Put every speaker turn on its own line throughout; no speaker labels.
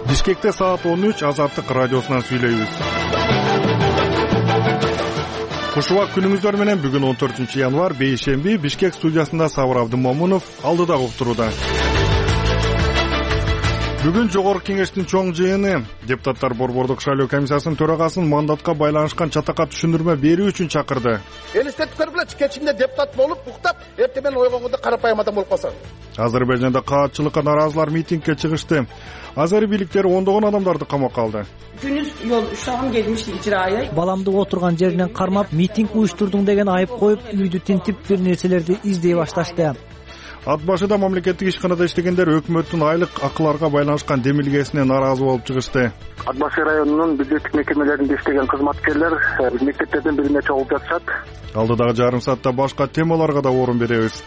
Бишкекте саат 13 Азаттык радиосунан сүйлөйбүз. Куш убак күнүңүздөр менен. Бүгүн 14 январь бейшемби. Бишкек студиясында Сабыр Абдымомунов алдыда уктурууда. Бүгүн Жогорку Кеңештин чоң жыйыны депутаттар Борбордук шайлоо комиссиясынын төрагасын мандатка байланышкан чатакка түшүндүрмө берүү үчүн чакырды.
Элестетип көргүлөчү, кечинде депутат болуп, уктап, эртең менен ойгонгондо карапайым адам болуп калса.
Азербайжанда каатчылыкка наразылар митингге чыгышты. Азери бийликтери ондогон адамдарды камакка алды.
Күнүз yol uşağım gelmişti icraya.
Баламды отурган жеринен кармап, митинг уюштурдуң деген айып коюп, үйдү тинтип бир нерселерди издей башташты.
Ат башыда мамлекеттик ишканада иштегендер өкмөттүн айлык акыларга байланышкан демилгесине наразы болуп чыгышты.
Ат башы районунун бюджеттик мекемелеринде иштеген кызматкерлер мектептерден бирине чогулуп жатышат.
Алдыдагы жарым саатта башка темаларга да орун беребиз.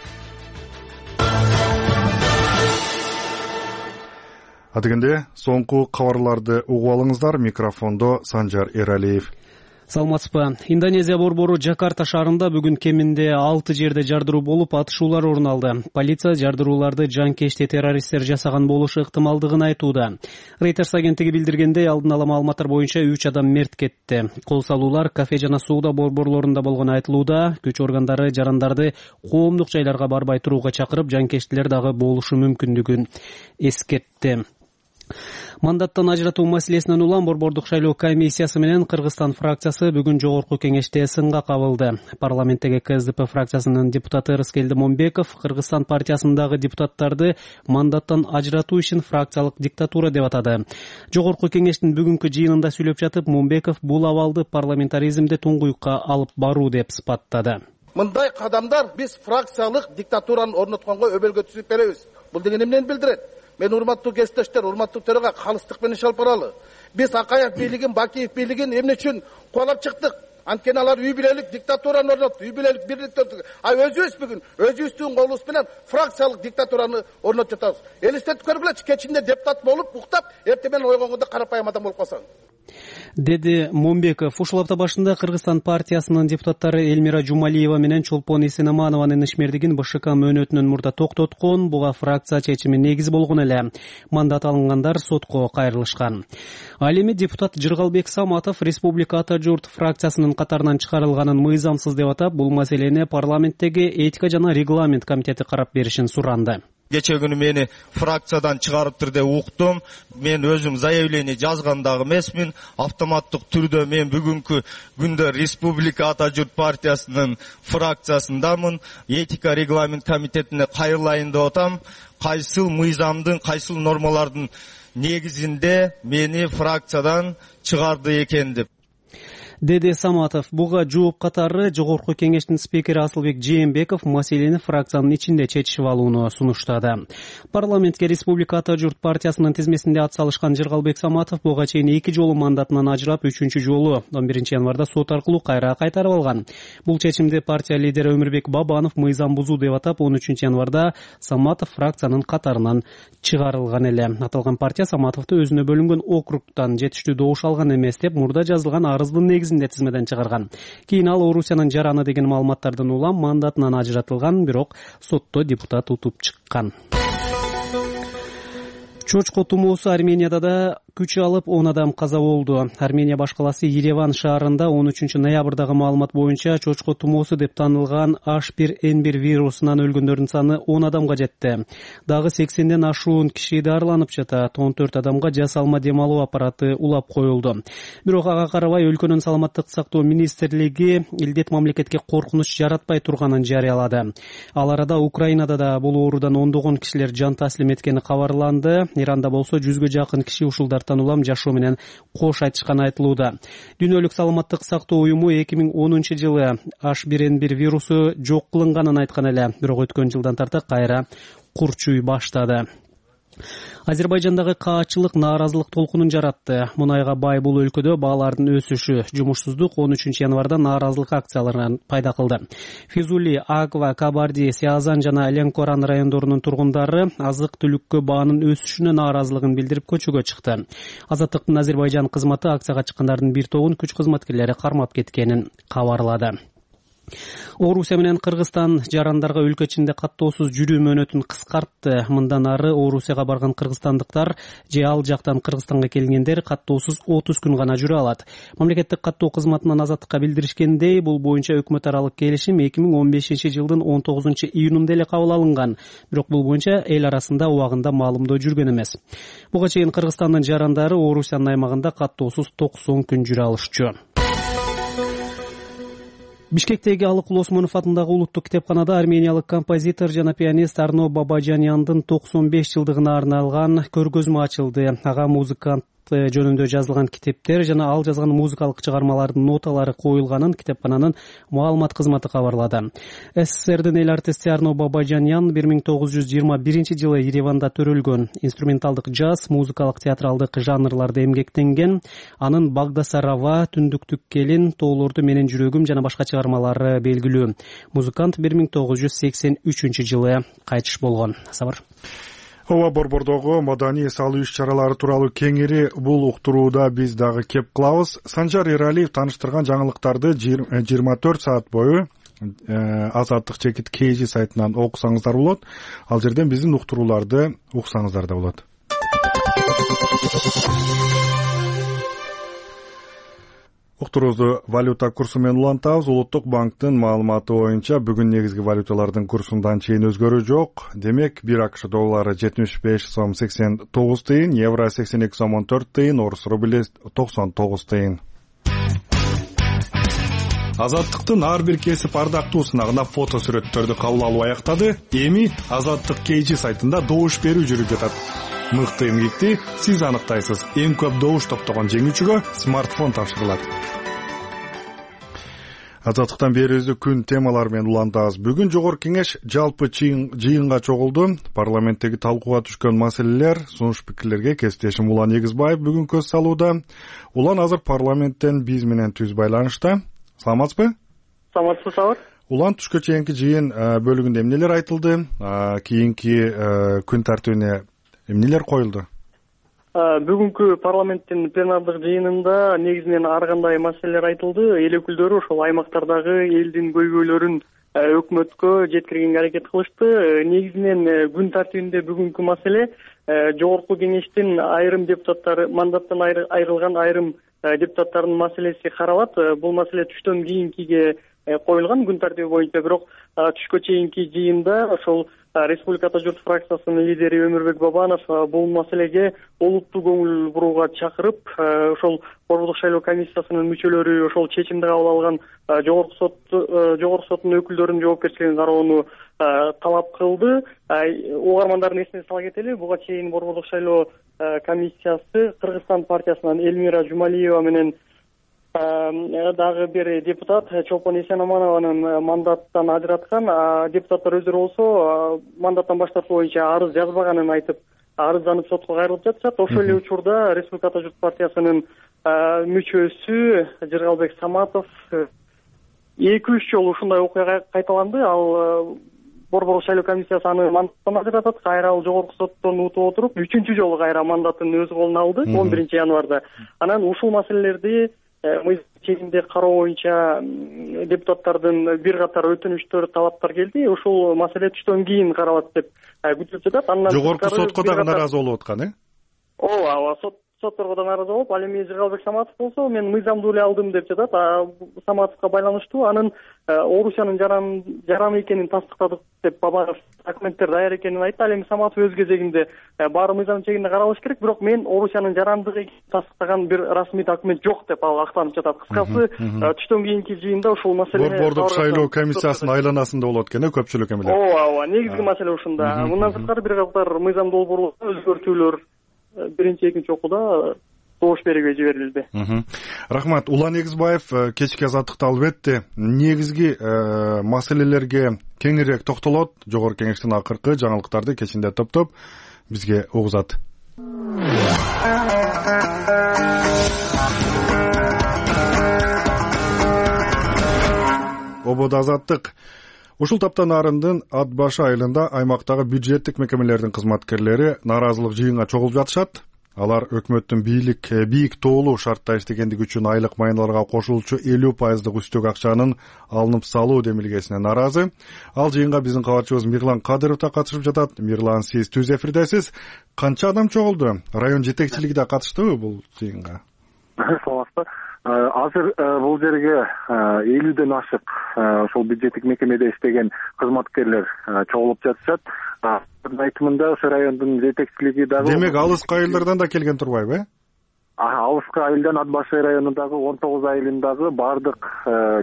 Адегенде соңку кабарларды угуп алыңыздар. Микрофондо Санжар Эралиев.
Саламатсызбы. Индонезия борбору Жакарта шаарында бүгүн кеминде 6 жерде жардыруу болуп, атышуулар орун алды. Полиция жардырууларды жанкечти террористтер жасаган болушу ыктымалдыгын айтууда. Reuters агенттиги билдиргендей, алдын ала маалыматтар боюнча 3 адам мерт кетти. Кол салуулар кафе жана соода борборлорунда болгону айтылууда. Күч органдары жарандарды коомдук жайларга барбай турууга чакырып, жанкечтилер дагы болушу мүмкүндүгүн эскертти. Мандаттан ажыратуу маселесинен улам Борбордук шайлоо комиссиясы менен Кыргызстан фракциясы бүгүн Жогорку Кеңеште сынга кабылды. Парламенттеги КСДП фракциясынын депутаты Рыскелди Момбеков Кыргызстан партиясындагы депутаттарды мандаттан ажыратуу ишин фракциялык диктатура деп атады. Жогорку Кеңештин бүгүнкү жыйынында сүйлөп жатып, Момбеков бул абалды парламентаризмди туңгуюкка алып баруу деп сыпаттады.
Мындай кадамдар биз фракциялык диктатураны орнотконго өбөлгө түзүп беребиз. Бул деген эмнени билдирет? Мен урматтуу кесиптештер, урматтуу төрага калыстык менен алып баралы. Биз Акаев бийлигин, Бакиев бийлигин эмне үчүн куалап чыктык? Анткени алар үй бүлөлүк диктатураны орнотду, үй бүлөлүк бирликти орнотду. Өзүбүз бүгүн өзүбүздүн колубуз менен фракциялык диктатураны орнотуп жатабыз. Элестетип көргүлөчү, кечинде депутат болуп, уктап, эртең менен ойгонгондо карапайым адам болуп калсаң.
Деди Момбеков. Ушул апта башында Кыргызстан партиясынын депутаттары Элмира Жумалиева менен Чолпон Исенаманованын ишмердигин БШК мөөнөтүнөн мурда токтоткон. Буга фракция чечими негиз болгон эле. Мандат алынгандар сотко кайрылышкан. Ал эми депутат Жыргалбек Саматов Республика Ата журт фракциясынын катарынан чыгарылганын мыйзамсыз деп атап, бул маселени парламенттеги этика жана регламент комитети карап беришин суранды.
Кече күнү мени фракциядан чыгарыптыр деп уктум. Мен өзүм заявление жазган дагы эмесмин. Автоматтык түрдө мен бүгүнкү күндө Республика Ата журт партиясынын фракциясындамын. Этика регламент комитетине кайрылайын деп атам. Кайсыл мыйзамдын, кайсыл нормалардын негизинде мени фракциядан чыгарды экен деп
деди Саматов. Буга жооп катары Жогорку Кеңештин спикери Асылбек Жээнбеков маселени фракциянын ичинде чечишип алууну сунуштады. Парламентке Республика Ата журт партиясынын тизмесинде ат салышкан Жыргалбек Саматов буга чейин 2 жолу мандатынан ажырап, 3-чү жолу 11 январда сот аркылуу кайра кайтарып алган. Бул чечимди партия лидери Өмүрбек Бабанов мыйзам бузуу деп атап, 13 январда Саматов фракциянын катарынан чыгарылган эле. Аталган партия Саматовду өзүнө бөлүнгөн округтан жетиштүү добуш алган эмес деп мурда жазылган арыздын негизинде тизмеден чыгарган. Кийин ал Орусиянын жараны деген маалыматтардан улам мандатынан ажыратылган, бирок сотто депутат утуп чыккан. Чочко тумоосу Арменияда да күч алып 10 адам каза болду. Армения баш каласы Ереван шаарында 13 ноябрдагы маалымат боюнча чочко тумоосу деп таанылган H1N1 вирусунан өлгөндөрдүн саны 10 адамга жетти. Дагы 80ден ашуун киши дарыланып жатат. 14 адамга жасалма дем алуу аппараты улап коюлду. Бирок ага карабай өлкөнүн саламаттык сактоо министрлиги илдет мамлекетке коркунуч жаратпай турганын жарыялады. Ал арада Украинада да бул оорудан ондогон кишилер жан таслим эткени кабарланды. Иранда болсо 100гө жакын киши ушулдардан улам жашоо менен кош айтышканы айтылууда. Дүйнөлүк саламаттык сактоо уюму 2010 жылы H1N1 вирусу жок кылынганын айткан эле, бирок өткөн жылдан тарта кайра курчуй баштады. Азербайжандагы каатчылык нааразылык толкунун жаратты. Мунайга бай бул өлкөдө баалардын өсүшү, жумушсуздук 13 январда нааразылык акцияларын пайда кылды. Физули, Аква, Кабарди, Сиазан жана Ленкоран райондорунун тургундары азык-түлүккө баанын өсүшүнө нааразылыгын билдирип көчөгө чыкты. Азаттыктын Азербайжан кызматы акцияга чыккандардын бир тобун күч кызматкерлери кармап кеткенин кабарлады. Орусия менен Кыргызстан жарандарга өлкө ичинде каттоосуз жүрүү мөөнөтүн кыскартты. Мындан ары Орусияга барган кыргызстандыктар же ал жактан Кыргызстанга келгендер каттоосуз 30 күн гана жүрө алат. Мамлекеттик каттоо кызматынан Азаттыкка билдиришкендей, бул боюнча өкмөт аралык келишим 2015-жылдын 19-июнунда эле кабыл алынган. Бирок бул боюнча эл арасында убагында маалымдоо жүргөн эмес. Буга чейин Кыргызстандын жарандары Орусиянын аймагында каттоосуз 90 күн жүрө алышчу. Бишкектеги Алык Улосмонов атындагы улуттук китепканада армениялык композитор жана пианист Арно Бабажаняндын 95 жылдыгына арналган көргөзмө ачылды. Ага музыкант жөнүндө жазылган китептер жана ал жазган музыкалык чыгармалардын ноталары коюлганын китепкананын маалымат кызматы кабарлады. СССРдин эл артисти Арно Бабажанян 1921-жылы Ереванда төрөлгөн. Инструменталдык джаз, музыкалык театралдык жанрларда эмгектенген. Анын Багдасарава, Түндүктүк келин, Тоолорду менен жүрөгүм жана башка чыгармалары белгилүү. Музыкант 1983-жылы кайтыш болгон. Сабыр.
Ооба, борбордогу маданий салуу иш-чаралары тууралуу кеңири бул уктурууда биз дагы кеп кылабыз. Санжар Эралиев таныштырган жаңылыктарды 24 саат бою Азаттык чекит KG сайтынан окусаңыздар болот. Ал жерден биздин уктурууларды уксаңыздар да болот. Уктуруубузду валюта курсу менен улантабыз. Улуттук банктын маалыматы боюнча бүгүн негизги валюталардын курсундан чейин өзгөрүү жок. Демек, 1 АКШ доллары 75 сом 89 тыйын, евро 82 сом 14 тыйын, орус рубли 99 тыйын. Азаттыктын ар бир кесип ардактуу сынагына фото сүрөттөрдү кабыл алуу аяктады. Эми Азаттык KG сайтында добуш берүү жүрүп жатат. Мыкты эмгекти сиз аныктайсыз. Эң көп добуш топтогон жеңүүчүгө смартфон тапшырылат. Азаттыктан берүүбүздү күн темалары менен улантабыз. Бүгүн жогорку кеңеш жалпы жыйынга чогулду. Парламенттеги талкууга түшкөн маселелер, сунуш пикирлерге кесиптешим Улан Эгизбаев бүгүн көз салууда. Улан азыр парламенттен биз менен түз байланышта. Саламатсызбы?
Саламатсызбы, Сабыр.
Улан, түшкө чейинки жыйын бөлүгүндө эмнелер айтылды? Кийинки күн тартибине эмнелер коюлду?
Бүгүнкү парламенттин пленардык жыйынында негизинен ар кандай маселелер айтылды. Эл өкүлдөрү ошол аймактардагы элдин көйгөйлөрүн өкмөткө жеткиргенге аракет кылышты. Негизинен күн тартибинде бүгүнкү маселе жогорку кеңештин айрым депутаттары, мандаттан айрылган айрым депутаттардын маселеси каралат. Бул маселе түштөн кийинкиге коюлган күн тартиби боюнча, бирок түшкө чейинки жыйында ошол Республика Ата журт фракциясынын лидери Өмүрбек Бабанов бул маселеге олуттуу көңүл бурууга чакырып, ошол Борбордук шайлоо комиссиясынын мүчөлөрү ошол чечимди кабыл алган жогорку соттун өкүлдөрүнүн жоопкерчилигин кароону талап кылды. Угармандардын эсине сала кетели, буга чейин Борбордук шайлоо комиссиясы Кыргызстан партиясынан Элмира Жумалиева менен дагы бир депутат Чолпон Эсенаманованын мандаттан ажыраткан. Депутаттар өздөрү болсо мандаттан баш тартуу боюнча арыз жазбаганын айтып, арызданып сотко кайрылып жатышат. Ошол эле учурда Республика Ата журт партиясынын мүчөсү Жыргалбек Саматов 2-3 жолу ушундай окуя кайталанды. Ал Борбордук шайлоо комиссиясы аны мандаттан ажыратат, кайра ал жогорку соттон утуп отуруп 3-чү жолу кайра мандатын өз колуна алды 11 январда. Анан ушул маселелерди чегинде кароо боюнча депутаттардын бир катар өтүнүчтөр, талаптар келди. Ушул маселе түштөн кийин каралат деп күтүлүп жатат. Андан
жогорку сотко дагы нааразы болуп аткан,
ооба, сотторго да нааразы болуп, ал эми Жыргалбек Саматов болсо мен мыйзамдуу эле алдым деп жатат. Саматовго байланыштуу анын Орусиянын жараны экенин тастыктадык деп Бабанов документтер даяр экенин айтты. Ал эми Саматов өз кезегинде баары мыйзам чегинде каралыш керек, бирок мен Орусиянын жарандыгы тастыктаган бир расмий документ жок деп ал актанып жатат. Кыскасы түштөн кийинки жыйында ушул маселе
Борбордук шайлоо комиссиясынын айланасында болот экен, көпчүлүк эмелер.
Ооба, негизги маселе ушунда. Мындан сырткары бир катар мыйзам долбоорлорго өзгөртүүлөр биринчи, экинчи окууда добуш берүүгө жиберилди.
Рахмат. Улан Эгизбаев кечки Азаттыкта албетте негизги маселелерге кеңирээк токтолот. Жогорку кеңештин акыркы жаңылыктарды кечинде топтоп бизге угузат. Ободо Азаттык. Ушул таптан арындын Ат башы айылында аймактагы бюджеттик мекемелердин кызматкерлери нааразылык жыйынга чогулуп жатышат. Алар өкмөттүн бийик тоолуу шартта иштегендиги үчүн айлык майналарга кошулчу 50% үстөк акчанын алынып салуу демилгесине нааразы. Ал жыйынга биздин кабарчыбыз Мирлан Кадыров да катышып жатат. Мирлан, сиз түз эфирдесиз. Канча адам чогулду? Район жетекчилиги да катыштыбы бул жыйынга?
Саламатсызбы. Азыр бул жерге 50ден ашык ошол бюджеттик мекемеде иштеген кызматкерлер чогулуп жатышат. Айтымында ошо райондун жетекчилиги дагы.
Демек алыскы айылдардан да келген турбайбы?
Алыскы айылдан Ат Башай районундагы 19 айылындагы бардык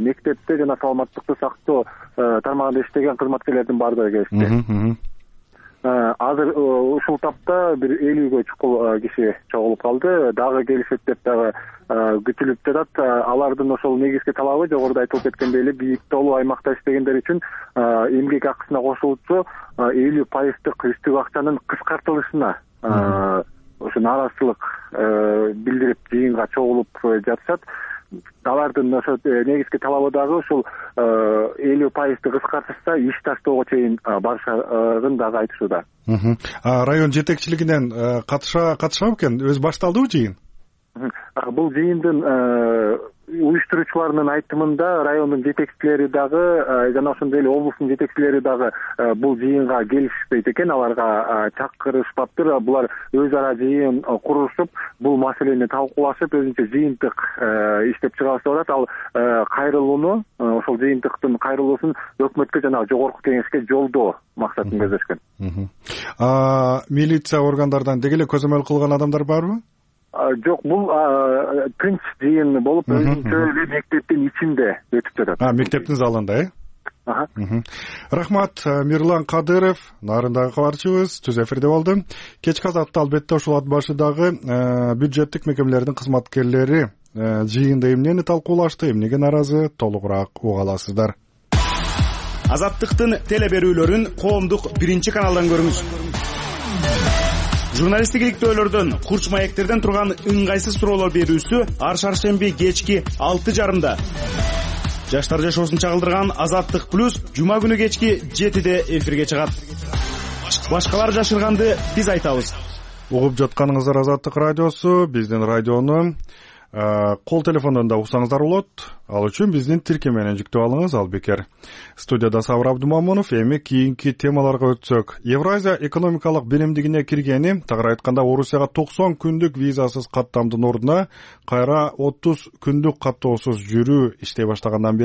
мектепте жана саламаттыкты сактоо тармагында иштеген кызматкерлердин бардыгы келишти. Азыр ушул тапта бир 50гө чукул киши чогулуп калды. Дагы келишет деп дагы күтүлүп жатат. Алардын ошол негизги талабы жогоруда айтылып кеткендей эле бийик тоолуу аймакта иштегендер үчүн эмгек акысына кошулчу 50% үстүк акчанын кыскартылышына ошо нааразычылык билдирип жыйынга чогулуп жатышат. Алардын ошо негизги талабы дагы ушул 50% кыскартышса иш таштоого чейин барышарын дагы айтышууда.
Район жетекчилигинен катышабы экен? Өзү башталдыбы жыйын?
Бул жыйындын уюштуруучуларынын айтымында райондун жетекчилери дагы жана ошондой эле облустун жетекчилери дагы бул жыйынга келишпейт экен, аларга чакырышпаптыр. Булар өз ара жыйын курушуп, бул маселени талкуулашып, өзүнчө жыйынтык иштеп чыгарышып атат. Ал кайрылууну, ошол жыйынтыктын кайрылуусун өкмөткө жана жогорку кеңешке жолдоо максатын көздөшкөн.
Милиция органдардан деги эле көзөмөл кылган адамдар барбы?
Жок, бул тынч жыйын болуп, өзүнчө эле мектептин ичинде өтүп жатат.
Мектептин залында, Рахмат, Мирлан Кадыров, нарындагы кабарчыбыз, түз эфирде болду. Кечки азатта албетте ушул Ат Башыдагы бюджеттик мекемелердин кызматкерлери жыйында эмнени талкуулашты, эмнеге нааразы, толугураак уга аласыздар.
Азаттыктын теле берүүлөрүн коомдук биринчи каналдан көрүңүз. Журналисттик иликтөөлөрдөн, курч маектерден турган ыңгайсыз суроолор берүүсү ар шаршемби кечки 6:30. Жаштар жашоосун чагылдырган Азаттык плюс жума күнү кечки 7:00 эфирге чыгат. Башкалар жашырганды биз айтабыз.
Угуп жатканыңыздар Азаттык радиосу, биздин радиону кол телефондон да уксаңыздар болот. Ал үчүн биздин тиркемени жүктөп алыңыз, ал бекер. Студияда Сабыр Абдумамунов. Эми кийинки темаларга өтсөк. Евразия экономикалык биримдигине киргени, тагыраак айтканда Орусияга 90 күндүк визасыз каттамдын ордуна кайра 30 күндүк каттоосуз жүрүү иштей баштаганын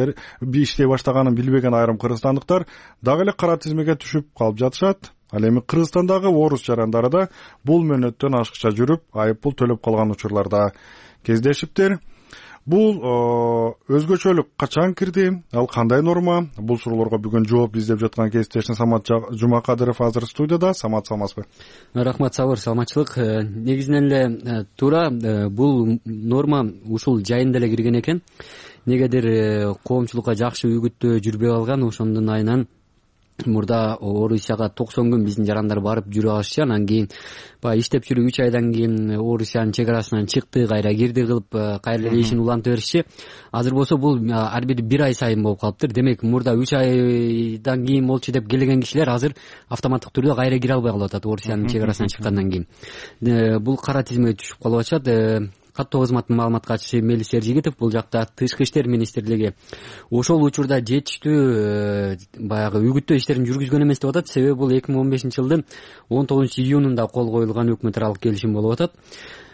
билбеген айрым кыргызстандыктар дагы эле кара тизмеге түшүп калып жатышат. Ал эми Кыргызстандагы орус жарандары да бул мөөнөттөн ашыкча жүрүп, айыппул төлөп калган учурларда кездешиптир. Бул өзгөчөлүк качан кирди? Ал кандай норма? Бул суроолорго бүгүн жооп издеп жаткан кесиптешим Самат Жумакадыров азыр студияда. Самат, саламатсызбы?
Рахмат, Сабыр, саламатчылык. Негизинен эле туура бул норма ушул жайында эле кирген экен. Негедир коомчулукка жакшы үгүттөө жүрбөй калган, ошондун айынан мурда Орусияга 90 күн биздин жарандар барып жүрүп алышчы. Анан кийин баягы иштеп жүрүп 3 айдан кийин Орусиянын чек арасынан чыкты, кайра кирди кылып, кайра эле ишин улантып беришчи. Азыр болсо бул ар бири 1 ай сайын болуп калыптыр. Демек мурда 3 айдан кийин болчу деп келген кишилер азыр автоматтык түрдө кайра кире албай калып атат Орусиянын чек арасынан чыккандан кийин. Бул кара тизмеге түшүп калып атышат. Каттоо кызматынын маалымат катчысы Мелис Эржигитов бул жакта Тышкы иштер министрлиги ошол учурда жетиштүү баягы үгүттөө иштерин жүргүзгөн эмес деп атат. Себеби бул 2015-жылдын 19-июнунда кол коюлган өкмөт аралык келишим болуп атат.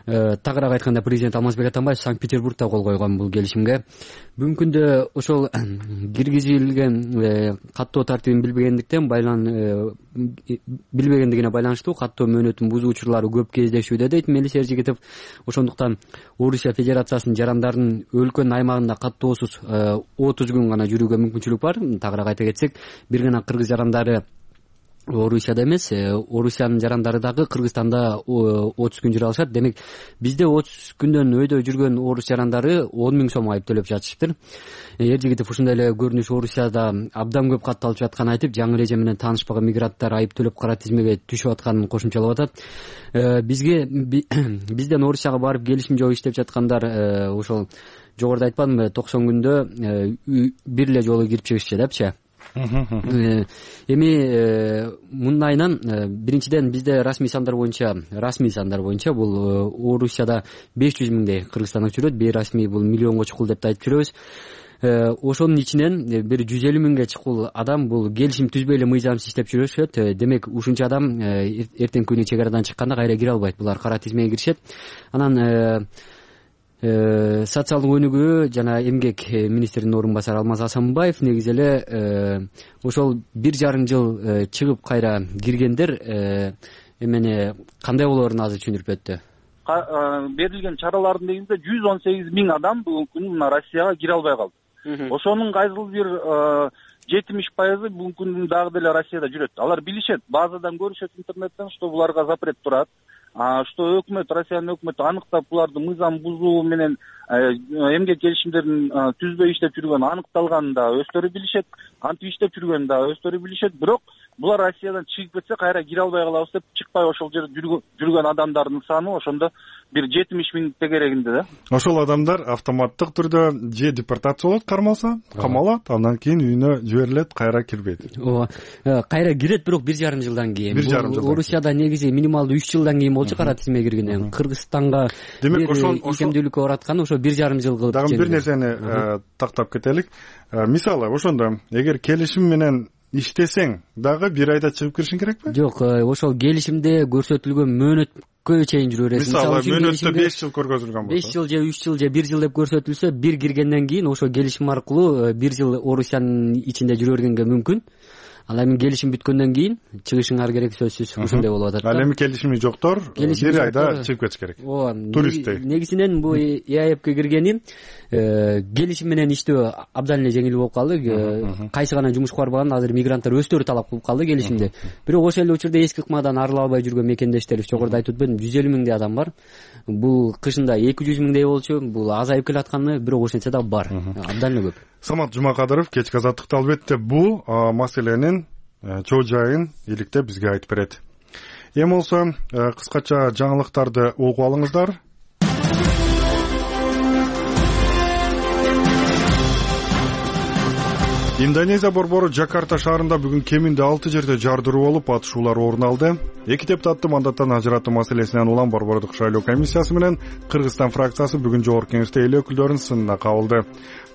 Тагыраак айтканда президент Алмазбек Атамбаев Санкт-Петербургда кол койгон бул келишимге. Бүгүнкү күндө ошол киргизилген каттоо тартибин билбегендигине байланыштуу каттоо мөөнөтүн бузуу учурлары көп кездешүүдө дейт Мелис Эржигитов. Ошондуктан Орусия Федерациясынын жарандарынын өлкөнүн аймагында каттоосуз 30 күн гана жүрүүгө мүмкүнчүлүк бар. Тагыраак айта кетсек, бир гана кыргыз жарандары Орусияда эмес, Орусиянын жарандары дагы Кыргызстанда 30 күн жүрө алышат. Демек, бизде 30 күндөн өйдө жүргөн орус жарандары 10 000 сом айып төлөп жатышыптыр. Эржигитов ушундай эле көрүнүш Орусияда абдан көп катталып жатканын айтып, жаңы эреже менен таанышпаган мигранттар айып төлөп кара тизмеге түшүп атканын кошумчалап атат. Бизден Орусияга барып келишим жок иштеп жаткандар ошол жогоруда айтпадымбы, 90 күндө бир эле жолу кирип чыгышчы депчи. Эми мындайынан биринчиден бизде расмий сандар боюнча бул Орусияда 500 миңдей кыргызстандык жүрөт, бейрасмий бул миллионго чукул деп да айтып жүрөбүз. Ошонун ичинен бир 150 миңге чукул адам бул келишим түзбөй эле мыйзамсыз иштеп жүрүшөт. Демек ушунча адам эртеңки күнү чек арадан чыкканда кайра кире албайт. Булар кара тизмеге киришет. Анан социалдык өнүгүү жана эмгек министринин орун басары Алмаз Асанбаев негизи эле ошол 1,5 жыл чыгып кайра киргендер эмени кандай болоорун азыр түшүндүрүп өттү.
Берилген чаралардын негизинде 118 миң адам бүгүнкү күнү мына Россияга кире албай калды. Ошонун кайсыл бир 70% бүгүнкү күндүн дагы деле Россияда жүрөт. Алар билишет, базадан көрүшөт интернеттен, что буларга запрет турат, что өкмөт, Россиянын өкмөтү аныктап буларды мыйзам бузуу менен эмгек келишимдерин түзбөй иштеп жүргөнү аныкталганын да өздөрү билишет, кантип иштеп жүргөнүн да өздөрү билишет. Бирок булар Россиядан чыгып кетсе кайра кире албай калабыз деп чыкпай ошол жерде жүргөн адамдардын саны ошондо бир 70 миң тегерегинде да.
Ошол адамдар автоматтык түрдө же депортация болот, камалат, андан кийин үйүнө жиберилет, кайра кирбейт.
Ооба. Кайра кирет, бирок 1,5 жылдан кийин. Орусияда негизи минималдуу 3 жылдан кийин болчу кара тизмеге киргенден. Кыргызстанга демек ошол икемдүүлүккө бараткан ошо 1,5 жыл кылып.
Дагы бир нерсени тактап кетелик. Мисалы ошондо эгер келишим менен иштесең дагы 1 айда чыгып киришиң керекпи?
Жок, ошол келишимде көрсөтүлгөн мөөнөткө чейин жүрө бересиң.
Мисалы мөөнөттө 5 жыл көргөзүлгөн болсо.
5 жыл же 3 жыл же 1 жыл деп көрсөтүлсө, бир киргенден кийин ошол келишим аркылуу 1 жыл Орусиянын ичинде жүрө бергенге мүмкүн. Ал эми келишим бүткөндөн кийин чыгышыңар керек, сөзсүз ушундай болуп атат.
Ал эми келишими жоктор 1 айда чыгып кетиш керек.
Ооба.
Туристтей.
Негизинен бул ЕАЭПке киргени келишим менен иштөө абдан эле жеңил болуп калды. Кайсы гана жумуш бар болгон азыр мигранттар өздөрү талап кылып калды келишимде. Бирок ошол эле учурда эски ыкмадан арыла албай жүргөн мекендештерибиз, жогоруда айтып өтпөдүм, 150 миңдей адам бар. Бул кышында 200 миңдей болчу, бул азайып келатканы, бирок ошентсе да бар. Абдан эле көп.
Самат Жумакадыров кечки азаттыкта албетте бул маселенин чоо жайын иликтеп бизге айтып берет. Эми болсо кыскача жаңылыктарды угуп алыңыздар. Индонезия борбору Жакарта шаарында бүгүн кеминде 6 жерде жардыруу болуп, атышуулар орун алды. 2 депутатты мандаттан ажыратуу маселесинен улам борбордук шайлоо комиссиясы менен Кыргызстан фракциясы бүгүн жогорку кеңеште эл өкүлдөрүнүн сынына кабылды.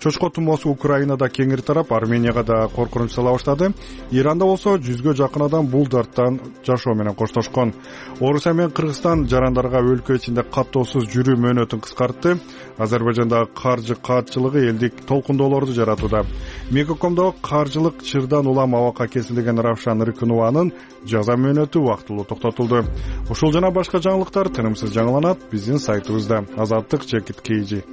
Чочко тумоосу Украинада кеңири тарап, Арменияга да коркунуч сала баштады. Иранда болсо 100гө жакын адам бул дарттан жашоо менен коштошкон. Орусия менен Кыргызстан жарандарга өлкө ичинде каттоосуз жүрүү мөөнөтүн кыскартты. Азербайжандагы каржы каатчылыгы элдик толкундоолорду жаратууда. Мегакомдогу каржылык чырдан улам абакка кесилген Равшан Рыкынованын жаза мөөнөтү убактылуу токтотулду. Ушул жана башка жаңылыктар тынымсыз жаңыланат биздин сайтыбызда. Азаттык.kz.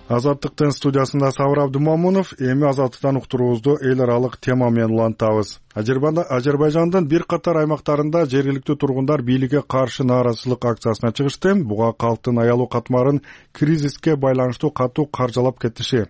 Азаттыктын студиясында Сабыр Абдымамунов. Эми азаттыктан уктуруубузду эл аралык тема менен улантабыз. Азербайжандын бир катар аймактарында жергиликтүү тургундар бийликке каршы нааразычылык акциясына чыгышты. Буга калктын аялуу катмарын кризиске байланыштуу катуу каржалап кетиши,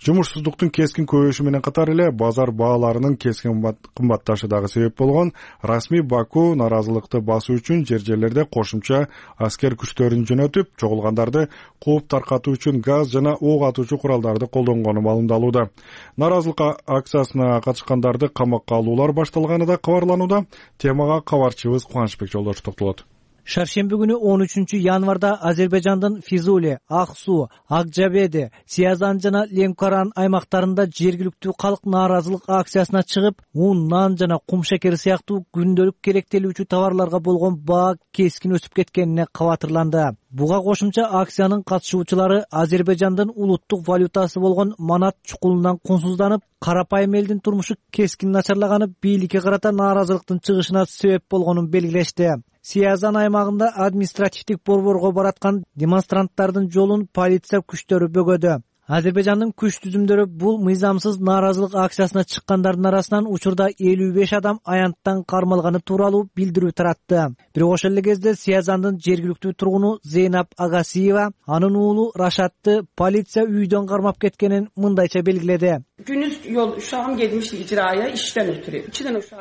жумушсуздуктун кескин көбөйүшү менен катар эле базар бааларынын кескин кымбатташы дагы себеп болгон. Расмий Баку нааразылыкты басуу үчүн жерлерде кошумча аскер күчтөрүн жөнөтүп, чогулгандарды кууп таркатуу үчүн газ жана ок атуучу куралдарды колдонгону маалымдалууда. Нааразылык акциясына катышкандарды камакка алуулар башталганы да кабарланууда. Темага кабарчыбыз Кубанычбек Жолдошев токтолот.
Шаршемби күнү 13 январда Азербайжандын Физули, Аксу, Акжабеде, Сиязан жана Ленкоран аймактарында жергиликтүү калк нааразылык акциясына чыгып, un, нан жана кум шекери сыяктуу күндөлүк керектелүүчү товарларга болгон баа кескин өсүп кеткенине кабатырланды. Буга кошумча акциянын катышуучулары Азербайжандын улуттук валютасы болгон манат чукулунан кунсузданып, карапайым элдин турмушу кескин начарлаганы бийликке карата нааразылыктын чыгышына себеп болгонун белгилешти. Сиязан аймагында административдик борборго бараткан демонстранттардын жолун полиция күчтөрү бөгөдү. Азербайжандын күч түзүмдөрү бул мыйзамсыз нааразылык акциясына чыккандардын арасынан учурда 55 адам аянттан кармалганы тууралуу билдирүү таратты. Бирок ошол эле кезде Сиязандын жергиликтүү тургуну Зейнап Агасиева анын уулу Рашатты полиция үйдөн кармап кеткенин мындайча белгиледи.
Gündüz yol uşağım gelmişti icraya işten ötürü.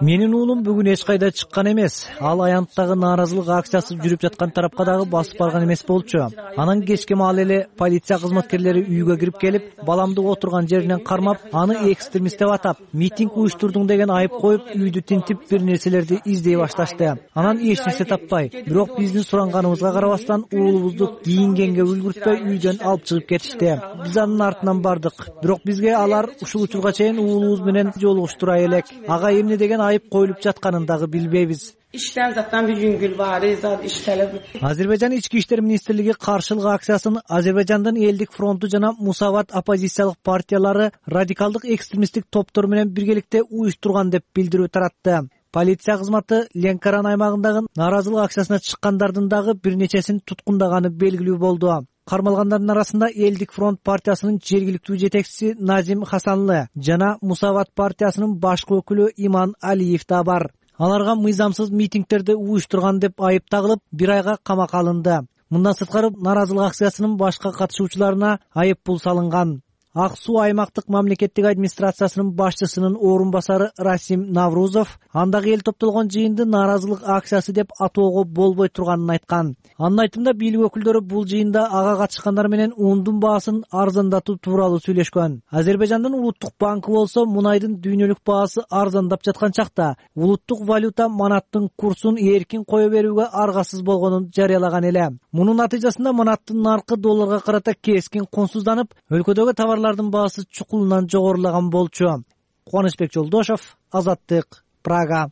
Менин уулум бүгүн эч кайда чыккан эмес. Ал аянттагы нааразылык акциясы жүрүп жаткан тарапка дагы басып барган эмес болчу. Анан кечке маал эле полиция кызматкерлери үйгө кирип келип, баламды отурган жеринен кармап, аны экстремист деп атап, митинг уюштурдуң деген айып коюп, үйдү тинтип бир нерселерди издей башташты. Анан эч нерсе таппай, бирок биздин суранганыбызга карабастан уулубузду кийингенге үлгүртпөй үйдөн алып чыгып кетишти. Биз анын артынан бардык. Бирок бизге алар ушул учурга чейин уулубуз менен жолугуштура элек. Ага эмне деген айып коюлуп жатканын дагы билбейбиз.
İşten zaten bir yüngül var, iş talebi.
Азербайжан ички иштер министрлиги каршылык акциясын Азербайжандын Элдик фронту жана Мусават оппозициялык партиялары радикалдык экстремисттик топтор менен биргеликте уюштурган деп билдирүү таратты. Полиция кызматы Ленкоран аймагындагы нааразылык акциясына чыккандардын дагы бир нечесин туткундаганы белгилүү болду. Кармалгандардын арасында Элдик фронт партиясынын жергиликтүү жетекчиси Назим Хасанлы жана Мусават партиясынын башкы өкүлү Иман Алиев да бар. Аларга мыйзамсыз митингтерди уюштурган деп айып тагылып, 1 айга камакка алынды. Мындан сырткары нааразылык акциясынын башка катышуучуларына айып пул салынган. Ак Суу аймактык мамлекеттик администрациясынын башчысынын орун басары Расим Наврузов андагы эл топтолгон жыйынды нааразылык акциясы деп атоого болбой турганын айткан. Анын айтымында бийлик өкүлдөрү бул жыйында ага катышкандар менен ундун баасын арзандатуу тууралуу сүйлөшкөн. Азербайжандын улуттук банкы болсо мунайдын дүйнөлүк баасы арзандап жаткан чакта улуттук валюта манаттын курсун эркин кое берүүгө аргасыз болгонун жарыялаган эле. Мунун натыйжасында манаттын наркы долларга карата кескин кунсузданып, өлкөдөгү товарлардын баасы чукулунан жогорулаган болчу. Кубанычбек Жолдошов, Азаттык, Прага.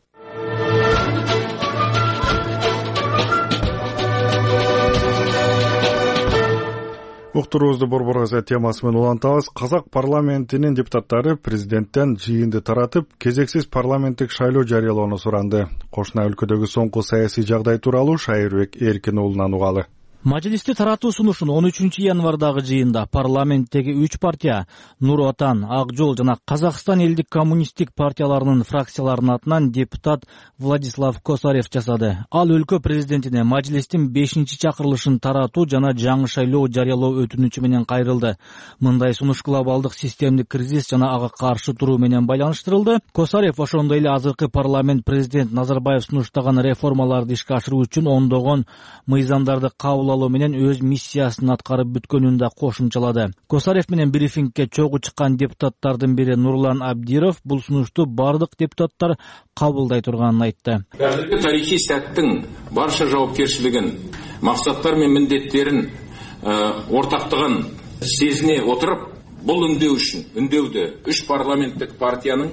Уктуруубузду Борбор газет темасы менен улантабыз. Казак парламентинин депутаттары президенттен жыйынды таратып, кезексиз парламенттик шайлоо жарыялоону суранды. Кошуна өлкөдөгү соңку саясий жагдай тууралуу Шайырбек Эркин уулунан угалы.
Мажлисти таратуу сунушун 13 январдагы жыйында парламенттеги 3 партия Нур Отан, Ак Жол жана Казакстан элдик коммунисттик партияларынын фракцияларынын атынан депутат Владислав Косарев жасады. Ал өлкө президентине мажлистин 5-чакырылышын таратуу жана жаңы шайлоо жарыялоо өтүнүчү менен кайрылды. Мындай сунуш глобалдык системдик кризис жана ага каршы туруу менен байланыштырылды. Косарев ошондой эле азыркы парламент президент Назарбаев сунуштаган реформаларды ишке ашыруу үчүн ондогон мыйзамдарды кабыл менен өз миссиясын аткарып бүткөнүн да кошумчалады. Косарев менен брифингке чогуу чыккан депутаттардын бири Нурлан Абдиров бул сунушту бардык депутаттар кабылдай турганын айтты.
Азыркы тарихий сәттин барша жоопкерчилигин, максаттар менен міндеттерин ортактыгын сезине отуруп, бул үндөүдү 3 парламенттик партиянын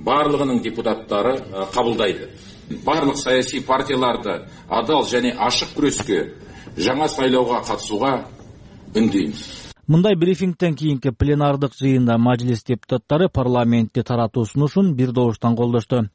барлыгынын депутаттары кабылдайды. Барлык саясий партияларды адал және ашык күрөскө, жаңа сайлоого катышууга үндөйбүз.
Мындай брифингтен кийинки пленардык жыйында мажлис депутаттары парламентти таратуу сунушун бир добуштан колдошту.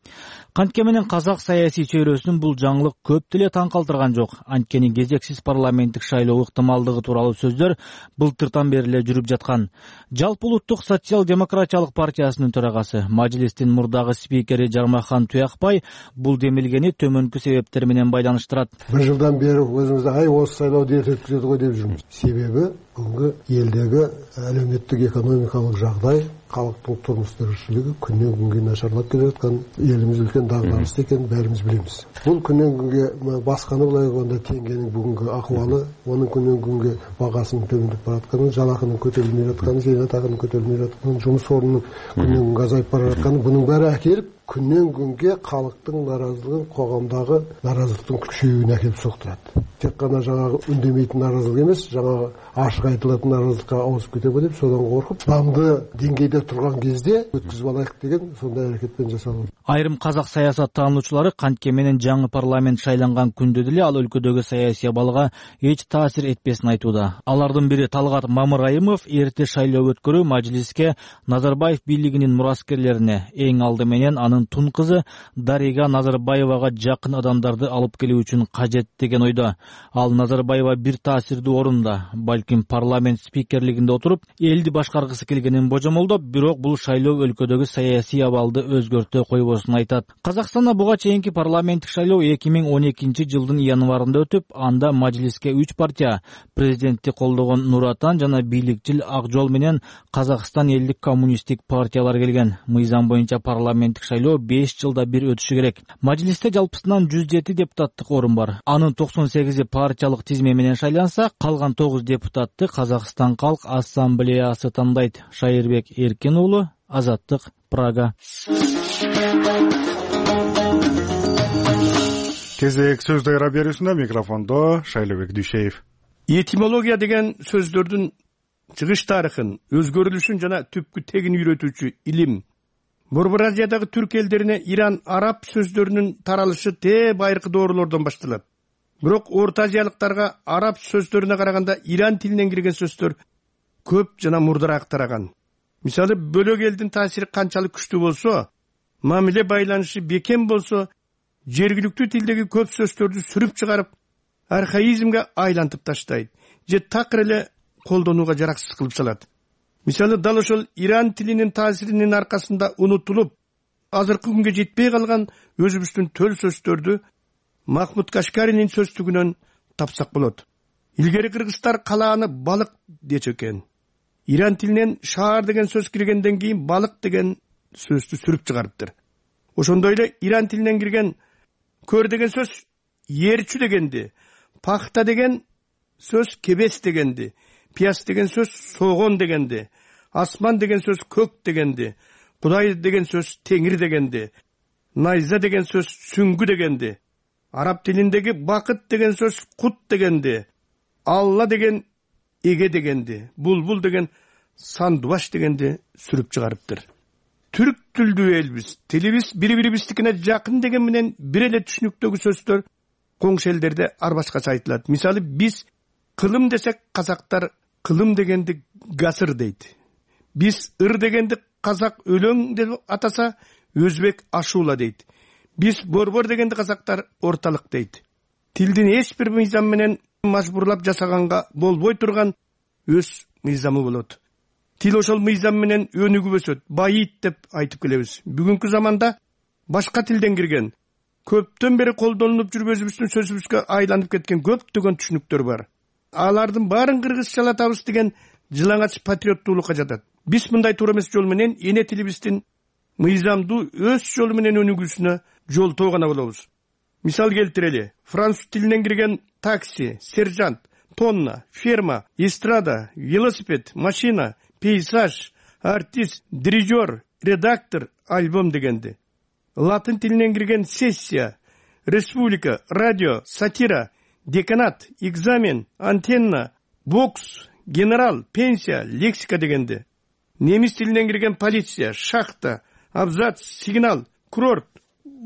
Кантке менен казак саясий чөйрөсүнүн бул жаңылык көп деле таң калтырган жок. Анткени кезексиз парламенттик шайлоо ыктымалдыгы тууралуу сөздөр былтыртан бери эле жүрүп жаткан. Жалпы улуттук социал-демократиялык партиясынын төрагасы, мажлистин мурдагы спикери Жармахан Туякбай бул демилгени төмөнкү себептер менен байланыштырат.
Бир жылдан бери өзүбүздө осы шайлооду эрте өткөзөт го деп жүрмүз. Себеби бүгүнкү элдеги әлеуметтик экономикалык жагдай, халыктын турмуш тиричилиги күнөн күнгө начарлап келе жаткан, элибиз үлкен дагдарышта экенин баарыбыз билебиз. Бул күнөн күнгө басканы былай айтканда теңгенин бүгүнкү акыбалы, онун күнөн күнгө багасынын төмөндөп баратканы, жалакынын көтөрүлмөй жатканы, зейнетакынын көтөрүлмөй жатканы, жумуш орнунун күнөн күнгө азайып бара жатканы, бунун баары акелип күнөн күнгө халыктын нааразылыгын, коомдогу нааразылыктын күчөйүүнө акелип соктурат. Тек гана жаңагы үндөмейтин нааразылык эмес, жаңагы ашык айтылатын нааразылыкка ауысып кетеби деп содан коркуп, заңды деңгейде эле турган кезде өткүзүп алайык деген сондай аракетпен жасалган.
Айрым казак саясаттануучулары кантке менен жаңы парламент шайланган күндө деле ал өлкөдөгү саясий абалга эч таасир этпесин айтууда. Алардын бири Талгат Мамырайымов эрте шайлоо өткөрүү Мажлиске Назарбаев бийлигинин мураскерлерине, эң алды менен анын тун кызы Дарига Назарбаевага жакын адамдарды алып келүү үчүн кажет деген ойдо. Ал Назарбаева бир таасирдүү орунда, балким парламент спикерлигинде отуруп, элди башкаргысы келгенин божомолдоп, бирок бул шайлоо өлкөдөгү саясий абалды өзгөртө койбосун айтат. Казакстанда буга чейинки парламенттик шайлоо 2012 жылдын январында өтүп, анда Мажлиске 3 партия — президентти колдогон Нур Отан жана бийликчил Ак жол менен Казакстан элдик коммунисттик партиялар келген. Мыйзам боюнча парламенттик шайлоо 5 жылда бир өтүшү керек. Мажлисте жалпысынан 107 депутаттык орун бар. Анын 98 партиялык тизме менен шайланса, калган 9 депутатты Казакстан Калк Ассамблеясы тандайт. Шайырбек Эркин уулу, Азаттык, Прага.
Кезек сөз дайра берүүсүндө микрофондо Шайлообек Дүйшеев.
Этимология деген сөздөрдүн чыгыш тарыхын, өзгөрүлүшүн жана түпкү тегин үйрөтүүчү илим. Борбор Азиядагы түрк элдерине Иран араб сөздөрүнүн таралышы байыркы доорлордон башталат. Бирок Орто Азиялыктарга араб сөздөрүнө караганда Иран тилинен кирген сөздөр көп жана мурдараак тараган. Мисалы, бөлөк элдин таасири канчалык күчтүү болсо, мамиле байланышы бекем болсо, жергиликтүү тилдеги көп сөздөрдү сүрүп чыгарып, архаизмге айлантып таштайт же такыр эле колдонууга жараксыз кылып салат. Мисалы, дал ошол Иран тилинин таасиринин аркасында унутулуп, азыркы күнгө жетпей калган өзүбүздүн төл сөздөрдү Махмуд Кашкаринин сөздүгүнөн тапсак болот. Илгери кыргыздар калааны балык дечү экен. Иран тилинен шаар деген сөз киргенден кийин балык деген сөздү сүрүп чыгарыптыр. Ошондой эле Иран тилинен кирген көр деген сөз ээрчү дегенди, пахта деген сөз кебес дегенди, пияз деген сөз согон дегенди, асман деген сөз көк дегенди, Кудай деген сөз теңир дегенди, найза деген сөз сүңгү дегенди, араб тилиндеги бакыт деген сөз кут дегенди, Алла деген эге дегенди, булбул деген сандубаш дегенди сүрүп чыгарыптыр. Түрк тилдүү элбиз, тилибиз бири-бирибиздикине жакын деген менен бир эле түшүнүктөгү сөздөр коңшу элдерде ар башкача айтылат. Мисалы, биз кылым десек, казактар кылым дегенди гасыр дейт. Биз ыр дегенди казак өлөң деп атаса, өзбек ашуула дейт. Биз борбор дегенди казактар орталык дейт. Тилдин эч бир мыйзам менен мажбурлап жасаганга болбой турган өз мыйзамы болот. Тил ошол мыйзам менен өнүгүп өсөт, байыйт деп айтып келебиз. Бүгүнкү заманда башка тилден кирген, көптөн бери колдонулуп жүрүп өзүбүздүн сөзүбүзгө айланып кеткен көптөгөн түшүнүктөр бар. Алардын баарын кыргызчалатабыз деген жылаңач патриоттуулукка жатат. Биз мындай туура эмес жол менен эне тилибиздин мыйзамдуу өз жолу менен өнүгүүсүнө жолтоо гана болобуз. Мисал келтирели, француз тилинен кирген такси, сержант, тонна, ферма, эстрада, велосипед, машина, пейзаж, артист, дирижер, редактор, альбом дегенди. Латын тилинен кирген сессия, республика, радио, сатира, деканат, экзамен, антенна, бокс, генерал, пенсия, лексика дегенди. Немис тилинен кирген полиция, шахта, абзац, сигнал, курорт,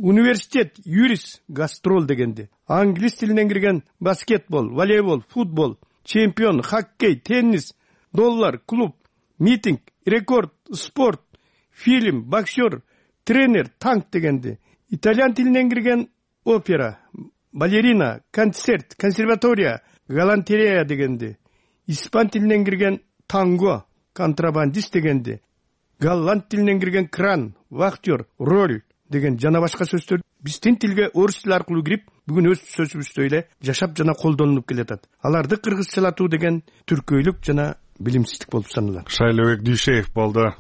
университет, юрист, гастрол дегенди. Англис тилинен кирген баскетбол, волейбол, футбол, чемпион, хоккей, теннис, доллар, клуб, митинг, рекорд, спорт, фильм, боксер, тренер, танк дегенди. Итальян тилинен кирген опера, балерина, концерт, консерватория, галантерея дегенди. Испан тилинен кирген танго, контрабандист дегенди. Голланд тилинен кирген кран, вахтер, роль деген жана башка сөздөр биздин тилге орус тили аркылуу кирип, бүгүн өз сөзүбүздөй эле жашап жана колдонулуп келатат. Аларды кыргызчалатуу деген түркөйлүк жана билимсиздик болуп саналат.
Шайлообек Дүйшеев болду.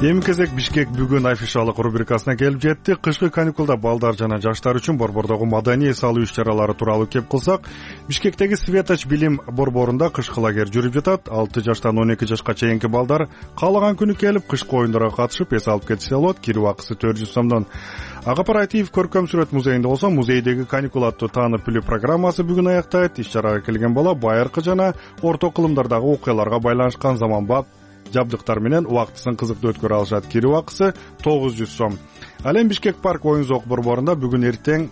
Эми кезек Бишкек бүгүн афишалык рубрикасына келип жетти. Кышкы каникулда балдар жана жаштар үчүн борбордогу маданий салуу иш-чаралары тууралуу кеп кылсак, Бишкектеги Светоч билим борборунда кышкы лагерь жүрүп жатат. 6 жаштан 12 жашка чейинки балдар каалаган күнү келип кышкы оюндарга катышып эс алып кетсе болот. Кирүү акысы 400 сомдон. Акапаратиев көркөм сүрөт музейинде болсо, музейдеги каникул аттуу таанып билүү программасы бүгүн аяктайт. Иш-чарага келген бала байыркы жана орто кылымдардагы окуяларга байланышкан заманбап жабдыктар менен убактысын кызыктуу өткөрө алышат. Кирүү акысы 900 сом. Ал эми Бишкек парк оюн зоок борборунда бүгүн эртең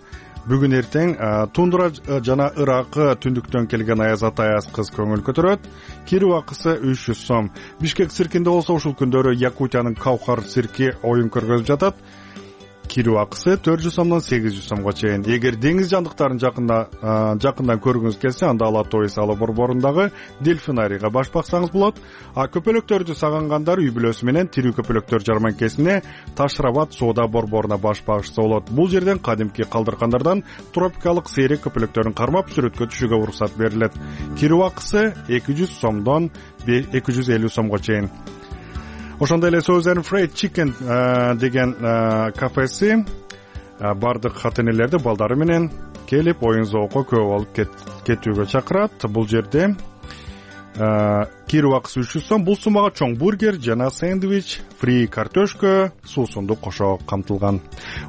тундра жана ыракы түндүктөн келген аяз ата аяз кыз көңүл көтөрөт. Кирүү акысы 300 сом. Бишкек циркинде болсо ушул күндөрү Якутиянын Каухар цирки оюн көргөзүп жатат. Кирүү акысы 400 сомдон 800 сомго чейин. Эгер деңиз жандыктарын жакындан көргүңүз келсе, анда Ала Тоо Эсалы борборундагы дельфинарийга баш баксаңыз болот. Көпөлөктөрдү сагангандар үй бүлөсү менен тирүү көпөлөктөр жарманкесине Ташрабат соода борборуна баш багышса болот. Бул жерден кадимки калдыркандардан тропикалык сейрек көпөлөктөрүн кармап сүрөткө түшүүгө уруксат берилет. Кирүү акысы 200 сомдон 250 сомго чейин. Ошондой эле Southern Fried Chicken деген кафеси бардык хат-энелерди балдары менен келип оюн зоокко көп болуп кетүүгө чакырат. Бул жерде кирүү акысы 300 сом. Бул суммага чоң бургер жана сэндвич, фри картошка, суусунду кошо камтылган.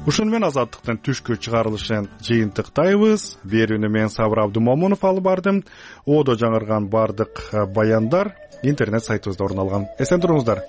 Ушуну менен Азаттыктын түшкү чыгарылышын жыйынтыктайбыз. Берүүнү мен Сабыр Абдумомунов алып бардым. Одо жаңырган бардык баяндар интернет сайтыбызда орун алган. Эсен туруңуздар.